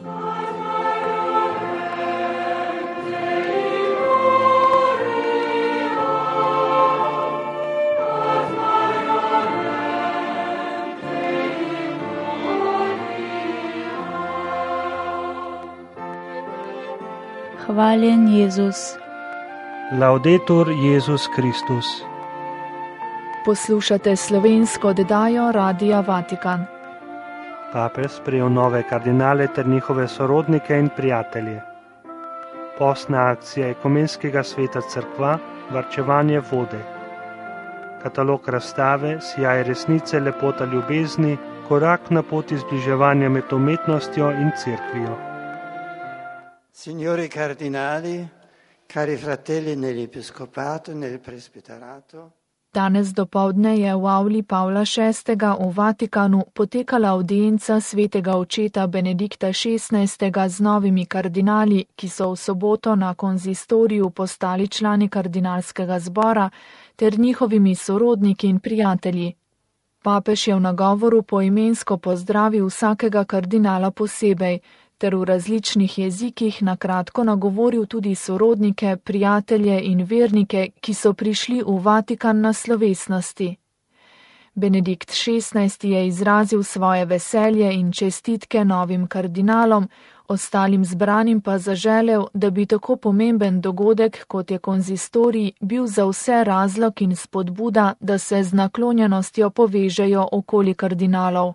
Hvaljen Jezus. Laudetur Jezus Kristus. Poslušate slovensko oddajo Radia Vatikan. Papež sprejel nove kardinale ter njihove sorodnike in prijatelje. Postna akcija Ekumenskega sveta Cerkva, varčevanje vode. Katalog razstave Sijaj resnice, lepota ljubezni, korak na poti zbliževanja med umetnostjo in cerkvijo. Signori cardinali, cari fratelli nell'episcopato, nel presbiterato. Danes dopoldne je v avli Pavla VI. V Vatikanu potekala audienca svetega očeta Benedikta XVI. Z novimi kardinali, ki so v soboto na konzistoriju postali člani kardinalskega zbora, ter njihovimi sorodniki in prijatelji. Papež je v nagovoru poimensko pozdravil vsakega kardinala posebej, ter v različnih jezikih na kratko nagovoril tudi sorodnike, prijatelje in vernike, ki so prišli v Vatikan na slovesnosti. Benedikt XVI. Je izrazil svoje veselje in čestitke novim kardinalom, ostalim zbranim pa zaželel, da bi tako pomemben dogodek, kot je konzistorij, bil za vse razlog in spodbuda, da se z naklonjenostjo povežejo okoli kardinalov.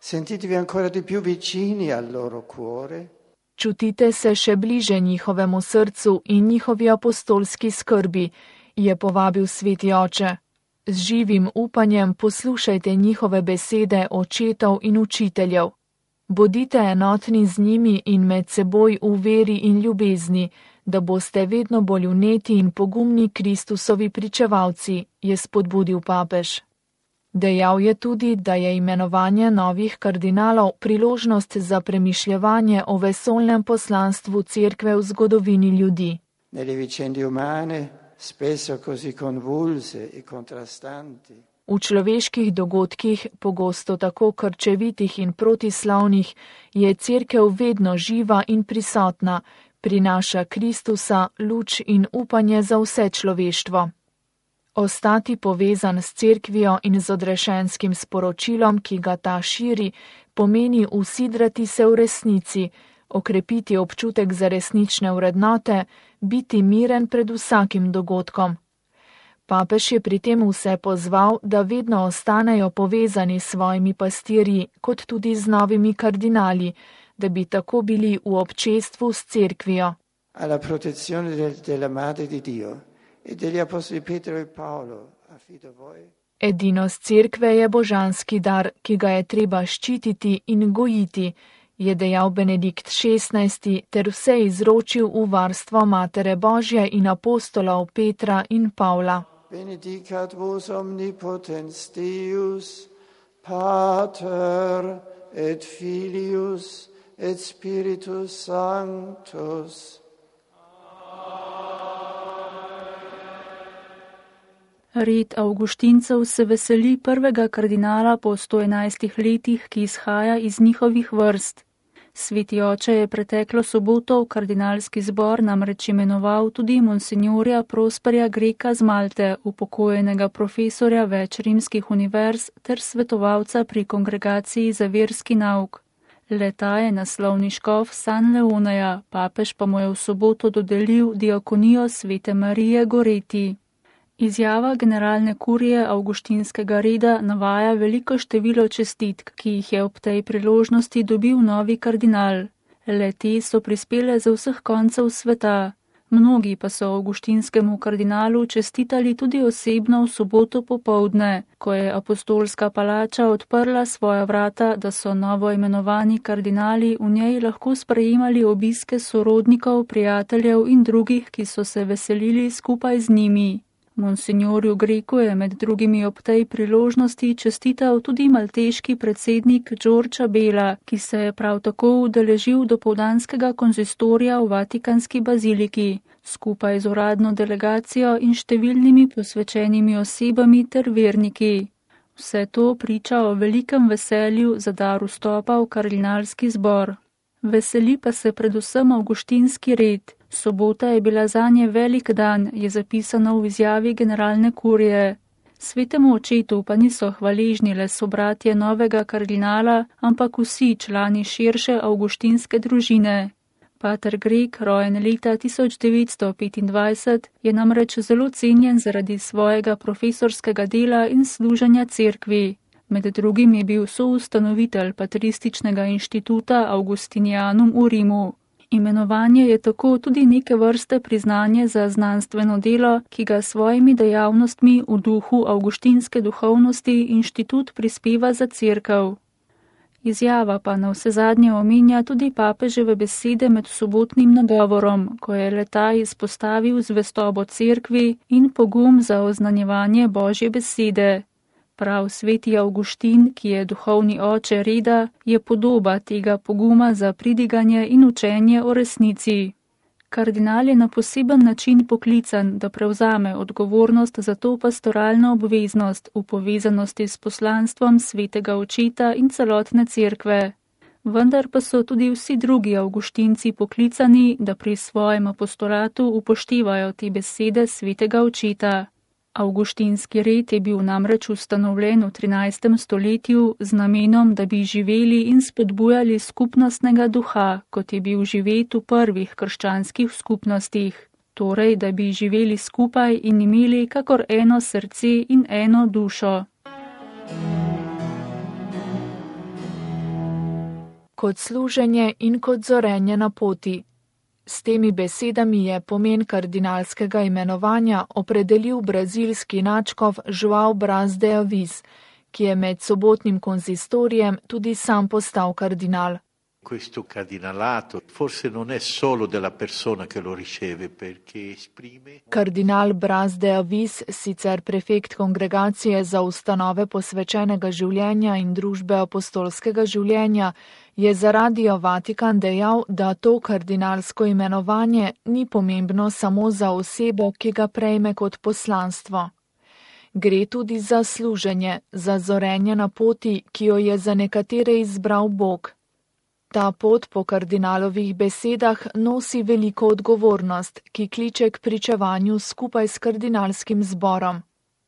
Sentitevi ancora di più vicini al loro cuore. Čutite se še bliže njihovemu srcu in njihovi apostolski skrbi, je povabil sveti oče. Z živim upanjem poslušajte njihove besede očetov in učiteljev. Bodite enotni z njimi in med seboj v veri in ljubezni, da boste vedno bolj vneti in pogumni Kristusovi pričevalci, je spodbudil papež. Dejal je tudi, da je imenovanje novih kardinalov priložnost za premišljevanje o vesoljnem poslanstvu cerkve v zgodovini ljudi. Nelle vicende umane, spesso così convulse e contrastanti. V človeških dogodkih, pogosto tako krčevitih in protislavnih, je cerkev vedno živa in prisotna, prinaša Kristusa, luč in upanje za vse človeštvo. Ostati povezan s cerkvijo in z odrešenskim sporočilom, ki ga ta širi, pomeni usidrati se v resnici, okrepiti občutek za resnične vrednote, biti miren pred vsakim dogodkom. Papež je pri tem vse pozval, da vedno ostanejo povezani s svojimi pastirji, kot tudi z novimi kardinali, da bi tako bili v občestvu s cerkvijo. Alla protezione della Madre di Dio. Edinost cerkve je božanski dar, ki ga je treba ščititi in gojiti, je dejal Benedikt XVI. Ter vse izročil v varstvo Matere Božje in apostolov Petra in Pavla. Benedicat vos omnipotens Deus, Pater et Filius et Spiritus Sanctus. Red Avguštincev se veseli prvega kardinala po 111 letih, ki izhaja iz njihovih vrst. Sveti oče je preteklo soboto v kardinalski zbor namreč imenoval tudi monsignorja Prosperja Greka z Malte, upokojenega profesorja več rimskih univerz ter svetovalca pri kongregaciji za verski nauk. Le-ta je naslovni škof San Leoneja, papež pa mu je v soboto dodelil diakonijo svete Marije Goreti. Izjava generalne kurije Avguštinskega reda navaja veliko število čestitk, ki jih je ob tej priložnosti dobil novi kardinal. Le-te so prispele z vseh koncev sveta. Mnogi pa so avguštinskemu kardinalu čestitali tudi osebno v soboto popoldne, ko je apostolska palača odprla svoja vrata, da so novo imenovani kardinali v njej lahko sprejemali obiske sorodnikov, prijateljev in drugih, ki so se veselili skupaj z njimi. Monsignorju Greku je med drugimi ob tej priložnosti čestital tudi malteški predsednik Đorđe Bela, ki se je prav tako udeležil dopoldanskega konzistorija v Vatikanski baziliki, skupaj z uradno delegacijo in številnimi posvečenimi osebami ter verniki. Vse to priča o velikem veselju za dar vstopa v kardinalski zbor. Veseli pa se predvsem avguštinski red. Sobota je bila zanje velik dan, je zapisano v izjavi generalne kurije. Svetemu očetu pa niso hvaležni le sobratje novega kardinala, ampak vsi člani širše avguštinske družine. Pater Greg, rojen leta 1925, je namreč zelo cenjen zaradi svojega profesorskega dela in služenja cerkvi. Med drugim je bil soustanovitelj Patrističnega inštituta Augustinianum v Rimu. Imenovanje je tako tudi neke vrste priznanje za znanstveno delo, ki ga s svojimi dejavnostmi v duhu avguštinske duhovnosti inštitut prispeva za cerkev. Izjava pa navsezadnje omenja tudi papeževe besede med sobotnim nagovorom, ko je le-ta izpostavil zvestobo cerkvi in pogum za oznanjevanje Božje besede. Prav sveti Avguštin, ki je duhovni oče reda, je podoba tega poguma za pridiganje in učenje o resnici. Kardinal je na poseben način poklican, da prevzame odgovornost za to pastoralno obveznost v povezanosti s poslanstvom svetega očeta in celotne cerkve. Vendar pa so tudi vsi drugi avguštinci poklicani, da pri svojem apostolatu upoštevajo te besede svetega očeta. Avguštinski red je bil namreč ustanovljen v 13. stoletju z namenom, da bi živeli in spodbujali skupnostnega duha, kot je bil živet v prvih krščanskih skupnostih. Torej, da bi živeli skupaj in imeli kakor eno srce in eno dušo. Kot služenje in kot zorenje na poti. S temi besedami je pomen kardinalskega imenovanja opredelil brazilski nadškof João Braz de Avis, ki je med sobotnim konzistorijem tudi sam postal kardinal. Questo cardinalato forse non è solo della persona che lo riceve, perché esprime. Kardinal Braz de Avis, sicer prefekt kongregacije za ustanove posvečenega življenja in družbe apostolskega življenja, je za Radio Vatikan dejal, da to kardinalsko imenovanje ni pomembno samo za osebo, ki ga prejme kot poslanstvo. Gre tudi za služenje, za zorenje na poti, ki jo je za nekatere izbral Bog. Ta pot po kardinalovih besedah nosi veliko odgovornost, ki kliče k pričevanju skupaj s kardinalskim zborom.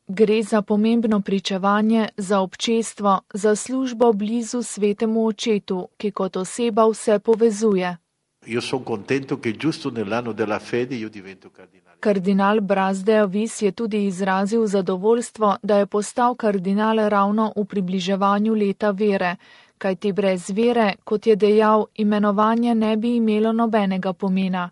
Gre za pomembno pričevanje, za občestvo, za službo blizu svetemu očetu, ki kot oseba vse povezuje. Kardinal Braz de Avis je tudi izrazil zadovoljstvo, da je postal kardinal ravno v približevanju leta vere, kajti brez vere, kot je dejal, imenovanje ne bi imelo nobenega pomena.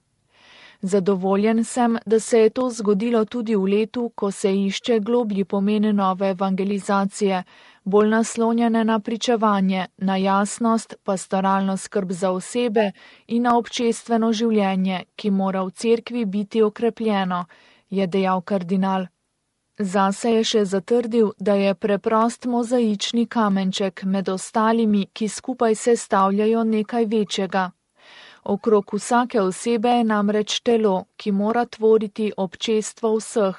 Zadovoljen sem, da se je to zgodilo tudi v letu, ko se išče globlji pomen nove evangelizacije, bolj naslonjene na pričevanje, na jasnost, pastoralno skrb za osebe in na občestveno življenje, ki mora v cerkvi biti okrepljeno, je dejal kardinal. Zase je še zatrdil, da je preprost mozaični kamenček med ostalimi, ki skupaj sestavljajo nekaj večjega. Okrog vsake osebe je namreč telo, ki mora tvoriti občestvo vseh.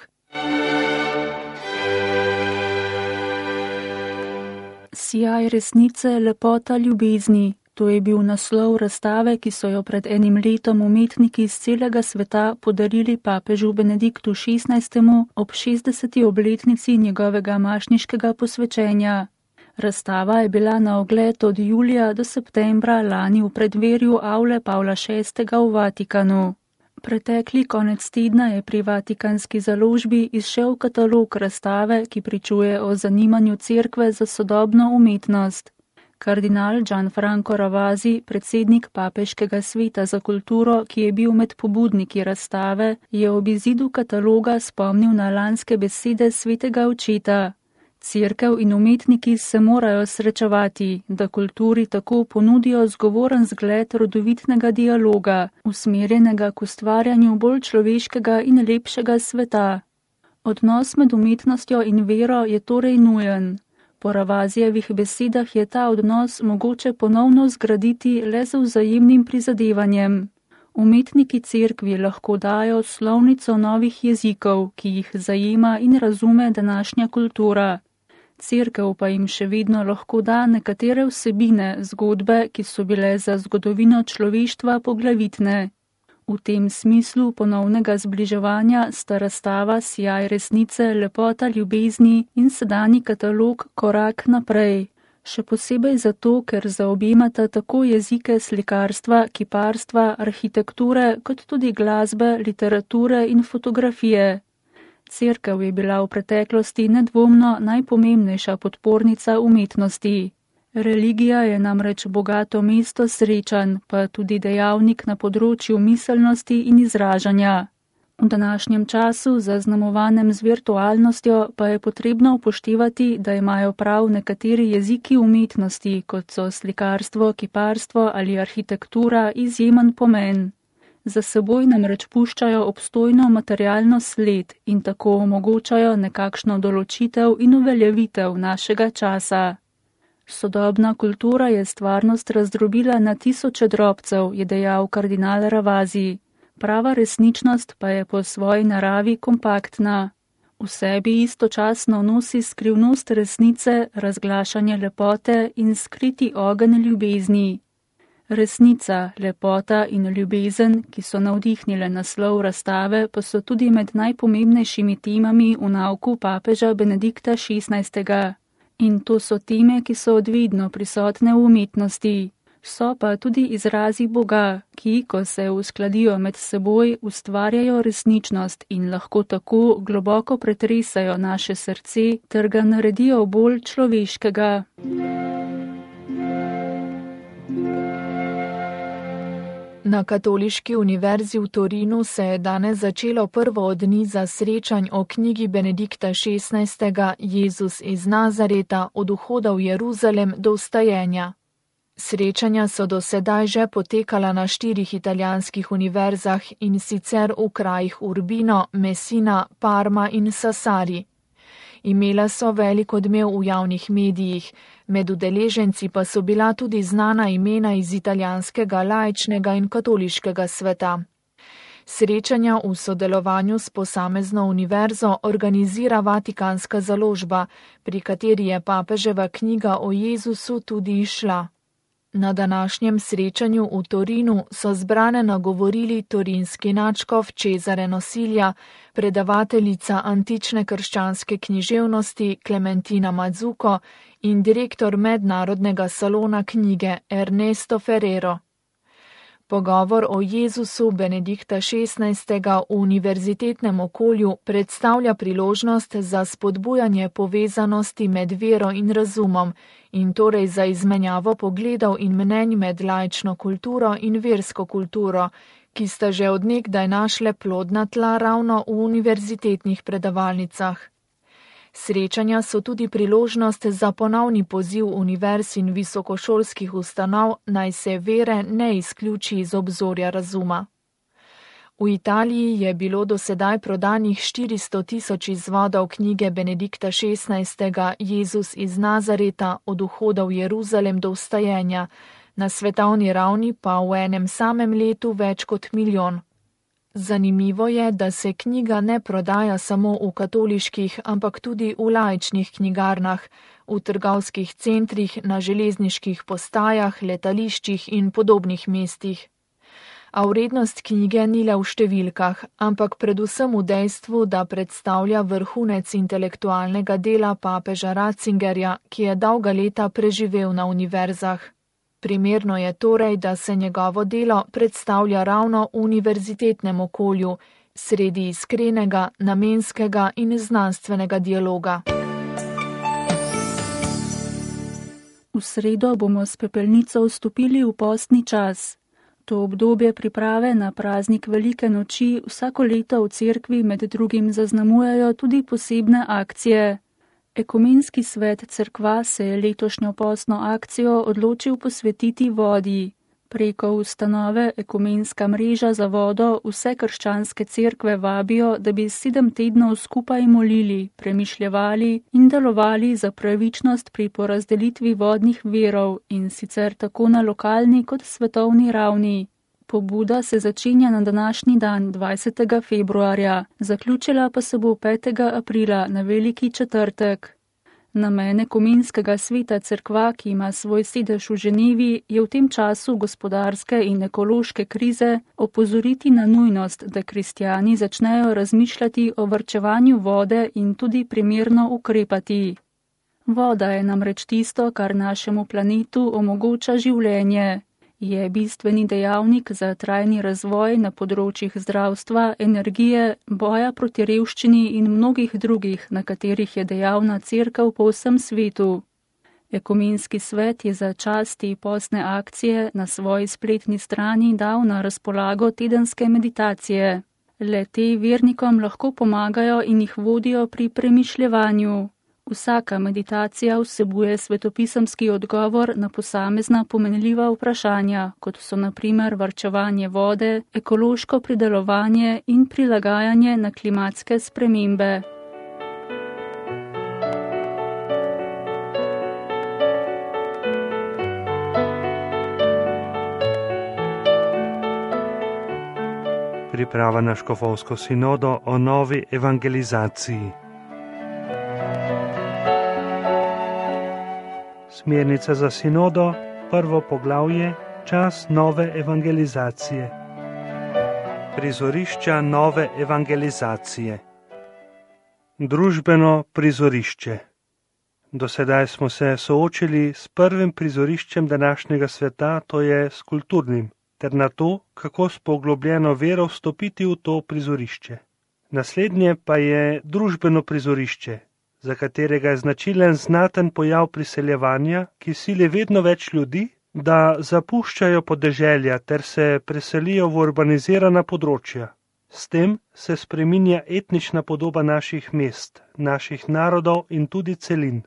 Sijaj resnice, lepota ljubezni. To je bil naslov razstave, ki so jo pred enim letom umetniki iz celega sveta podarili papežu Benediktu XVI. Ob 60. obletnici njegovega mašniškega posvečenja. Razstava je bila na ogled od julija do septembra lani v predverju avle Pavla VI. V Vatikanu. Pretekli konec tedna je pri Vatikanski založbi izšel katalog razstave, ki pričuje o zanimanju cerkve za sodobno umetnost. Kardinal Gianfranco Ravasi, predsednik papeškega sveta za kulturo, ki je bil med pobudniki razstave, je ob izidu kataloga spomnil na lanske besede svetega očeta. Cerkev in umetniki se morajo srečevati, da kulturi tako ponudijo zgovoren zgled rodovitnega dialoga, usmerjenega k ustvarjanju bolj človeškega in lepšega sveta. Odnos med umetnostjo in vero je torej nujen. Po Ravasijevih besedah je ta odnos mogoče ponovno zgraditi le z vzajemnim prizadevanjem. Umetniki cerkvi lahko dajo slovnico novih jezikov, ki jih zajema in razume današnja kultura. Cerkev pa jim še vedno lahko da nekatere vsebine, zgodbe, ki so bile za zgodovino človeštva poglavitne. V tem smislu ponovnega zbliževanja sta razstava Sijaj resnice, lepota ljubezni in sedanji katalog Korak naprej. Še posebej zato, ker zaobjemata tako jezike slikarstva, kiparstva, arhitekture, kot tudi glasbe, literature in fotografije. Cerkev je bila v preteklosti nedvomno najpomembnejša podpornica umetnosti. Religija je namreč bogato mesto srečanj, pa tudi dejavnik na področju miselnosti in izražanja. V današnjem času, zaznamovanem z virtualnostjo, pa je potrebno upoštevati, da imajo prav nekateri jeziki umetnosti, kot so slikarstvo, kiparstvo ali arhitektura, izjemen pomen. Za seboj namreč puščajo obstojno materialno sled in tako omogočajo nekakšno določitev in uveljavitev našega časa. Sodobna kultura je stvarnost razdrobila na tisoče drobcev, je dejal kardinal Ravasi. Prava resničnost pa je po svoji naravi kompaktna. V sebi istočasno nosi skrivnost resnice, razglašanje lepote in skriti ogenj ljubezni. Resnica, lepota in ljubezen, ki so navdihnile naslov razstave, pa so tudi med najpomembnejšimi temami v nauku papeža Benedikta XVI. In to so teme, ki so odvedno prisotne v umetnosti. So pa tudi izrazi Boga, ki, ko se uskladijo med seboj, ustvarjajo resničnost in lahko tako globoko pretresajo naše srce ter ga naredijo bolj človeškega. Na Katoliški univerzi v Torinu se je danes začelo prvo od niza srečanj o knjigi Benedikta XVI. Jezus iz Nazareta od vhoda v Jeruzalem do vstajenja. Srečanja so do sedaj že potekala na 4 italijanskih univerzah in sicer v krajih Urbino, Messina, Parma in Sassari. Imela so velik odmev v javnih medijih, med udeleženci pa so bila tudi znana imena iz italijanskega laičnega in katoliškega sveta. Srečanja v sodelovanju s posamezno univerzo organizira Vatikanska založba, pri kateri je papeževa knjiga o Jezusu tudi izšla. Na današnjem srečanju v Torinu so zbrane nagovorili torinski nadškof Cesare Nosilja, predavateljica antične krščanske književnosti Clementina Mazzuco in direktor mednarodnega salona knjige Ernesto Ferrero. Pogovor o Jezusu Benedikta XVI. V univerzitetnem okolju predstavlja priložnost za spodbujanje povezanosti med vero in razumom in torej za izmenjavo pogledov in mnenj med laično kulturo in versko kulturo, ki sta že od nekdaj našle plodna tla ravno v univerzitetnih predavalnicah. Srečanja so tudi priložnost za ponovni poziv univerz in visokošolskih ustanov, naj se vere ne izključi iz obzorja razuma. V Italiji je bilo do sedaj prodanih 400.000 izvodov knjige Benedikta XVI. Jezus iz Nazareta od vhoda v Jeruzalem do vstajenja, na svetovni ravni pa v enem samem letu več kot 1 milijon. Zanimivo je, da se knjiga ne prodaja samo v katoliških, ampak tudi v laičnih knjigarnah, v trgovskih centrih, na železniških postajah, letališčih in podobnih mestih. A vrednost knjige ni le v številkah, ampak predvsem v dejstvu, da predstavlja vrhunec intelektualnega dela papeža Ratzingerja, ki je dolga leta preživel na univerzah. Primerno je torej, da se njegovo delo predstavlja ravno v univerzitetnem okolju, sredi iskrenega, namenskega in znanstvenega dialoga. V sredo bomo s pepelnico vstopili v postni čas. To obdobje priprave na praznik Velike noči vsako leto v cerkvi med drugim zaznamujejo tudi posebne akcije. Ekumenski svet cerkva se je letošnjo postno akcijo odločil posvetiti vodi. Preko ustanove Ekumenska mreža za vodo vse krščanske cerkve vabijo, da bi 7 tednov skupaj molili, premišljevali in delovali za pravičnost pri porazdelitvi vodnih virov in sicer tako na lokalni kot svetovni ravni. Pobuda se začenja na današnji dan, 20. februarja, zaključila pa se bo 5. aprila na Veliki četrtek. Namen ekumenskega sveta cerkva, ki ima svoj sedež v Ženevi, je v tem času gospodarske in ekološke krize opozoriti na nujnost, da kristjani začnejo razmišljati o varčevanju vode in tudi primerno ukrepati. Voda je namreč tisto, kar našemu planetu omogoča življenje. Je bistveni dejavnik za trajni razvoj na področjih zdravstva, energije, boja proti revščini in mnogih drugih, na katerih je dejavna cerkev po vsem svetu. Ekumenski svet je za čas te postne akcije na svoji spletni strani dal na razpolago tedenske meditacije. Le te vernikom lahko pomagajo in jih vodijo pri premišljevanju. Vsaka meditacija vsebuje svetopisemski odgovor na posamezna pomenljiva vprašanja, kot so na primer varčevanje vode, ekološko pridelovanje in prilagajanje na klimatske spremembe. Priprava na škofovsko sinodo o novi evangelizaciji. Smernica za sinodo, prvo poglavje, čas nove evangelizacije. Prizorišča nove evangelizacije. Družbeno prizorišče. Do sedaj smo se soočili s prvim prizoriščem današnjega sveta, to je s kulturnim, ter na to, kako s poglobljeno vero vstopiti v to prizorišče. Naslednje pa je družbeno prizorišče, za katerega je značilen znaten pojav priseljevanja, ki sili vedno več ljudi, da zapuščajo podeželja ter se preselijo v urbanizirana področja. S tem se spreminja etnična podoba naših mest, naših narodov in tudi celin.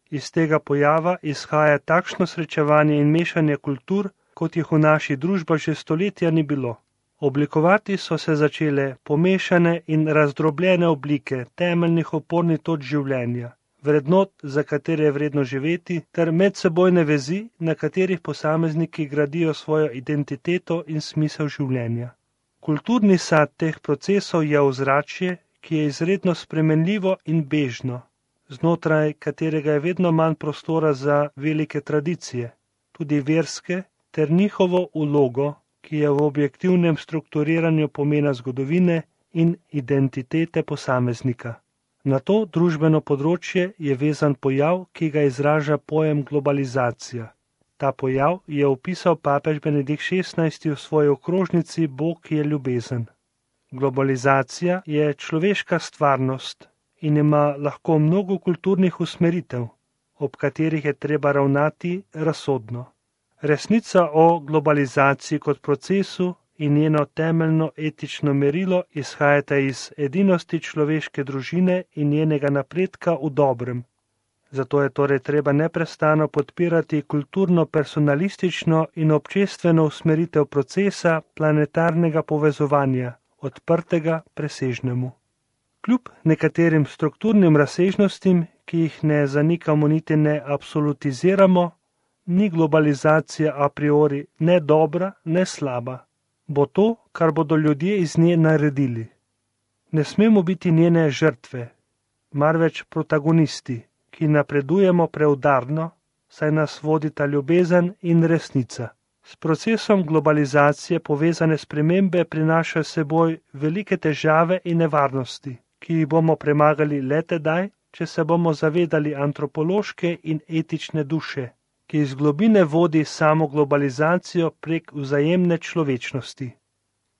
Iz tega pojava izhaja takšno srečevanje in mešanje kultur, kot jih v naši družbi že stoletja ni bilo. Oblikovati so se začele pomešane in razdrobljene oblike temeljnih opornih točk življenja, vrednot, za katere je vredno živeti, ter medsebojne vezi, na katerih posamezniki gradijo svojo identiteto in smisel življenja. Kulturni sad teh procesov je ozračje, ki je izredno spremenljivo in bežno, znotraj katerega je vedno manj prostora za velike tradicije, tudi verske, ter njihovo vlogo, ki je v objektivnem strukturiranju pomena zgodovine in identitete posameznika. Na to družbeno področje je vezan pojav, ki ga izraža pojem globalizacija. Ta pojav je opisal papež Benedikt XVI v svoji okrožnici Bog je ljubezen. Globalizacija je človeška stvarnost in ima lahko mnogo kulturnih usmeritev, ob katerih je treba ravnati razsodno. Resnica o globalizaciji kot procesu in njeno temeljno etično merilo izhajata iz edinosti človeške družine in njenega napredka v dobrem. Zato je torej treba neprestano podpirati kulturno-personalistično in občestveno usmeritev procesa planetarnega povezovanja, odprtega presežnemu. Kljub nekaterim strukturnim razsežnostim, ki jih ne zanikamo niti ne absolutiziramo, ni globalizacija a priori ne dobra, ne slaba. Bo to, kar bodo ljudje iz nje naredili. Ne smemo biti njene žrtve, marveč protagonisti, ki napredujemo preudarno, saj nas vodita ljubezen in resnica. S procesom globalizacije povezane spremembe prinašajo seboj velike težave in nevarnosti, ki jih bomo premagali le tedaj, če se bomo zavedali antropološke in etične duše, ki iz globine vodi samo globalizacijo prek vzajemne človečnosti.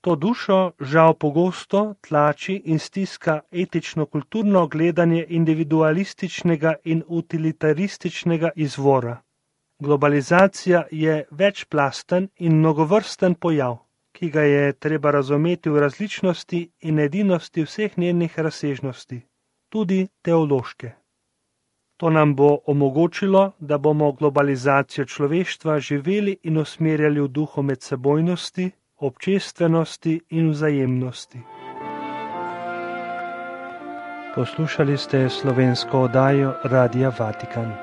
To dušo žal pogosto tlači in stiska etično-kulturno gledanje individualističnega in utilitarističnega izvora. Globalizacija je večplasten in mnogovrsten pojav, ki ga je treba razumeti v različnosti in edinosti vseh njenih razsežnosti, tudi teološke. To nam bo omogočilo, da bomo globalizacijo človeštva živeli in usmerjali v duhu medsebojnosti, občestvenosti in vzajemnosti. Poslušali ste slovensko oddajo Radia Vatikan.